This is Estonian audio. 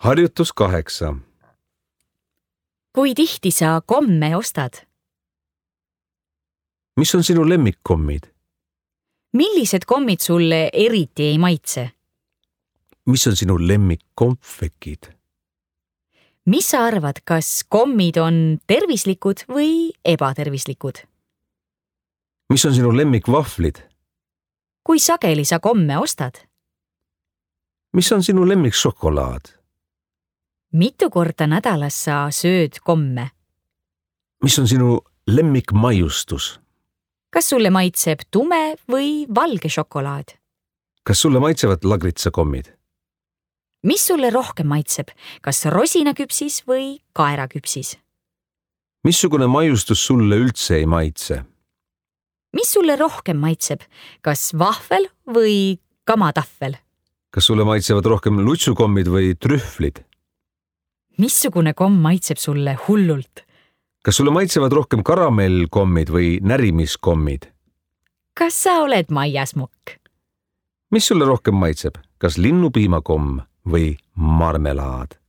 Harjutus 8. Kui tihti sa komme ostad? Mis on sinu lemmikkommid? Millised kommid sulle eriti ei maitse? Mis on sinu lemmikkonfekid? Mis sa arvad, kas kommid on tervislikud või ebatervislikud? Mis on sinu lemmikvahvlid? Kui sageli sa komme ostad? Mis on sinu lemmikšokolaad? Mitu korda nädalas sa sööd komme? Mis on sinu lemmikmaiustus? Kas sulle maitseb tume või valge šokolaad? Kas sulle maitsevad lagritsakommid? Mis sulle rohkem maitseb, kas rosinaküpsis või kaeraküpsis? Missugune maiustus sulle üldse ei maitse? Mis sulle rohkem maitseb, kas vahvel või kamatahvel? Kas sulle maitsevad rohkem lutsukommid või trühvlid? Missugune komm maitseb sulle hullult? Kas sulle maitsevad rohkem karamellkommid või närimiskommid? Kas sa oled maiasmukk? Mis sulle rohkem maitseb, kas linnupiimakomm või marmelaad?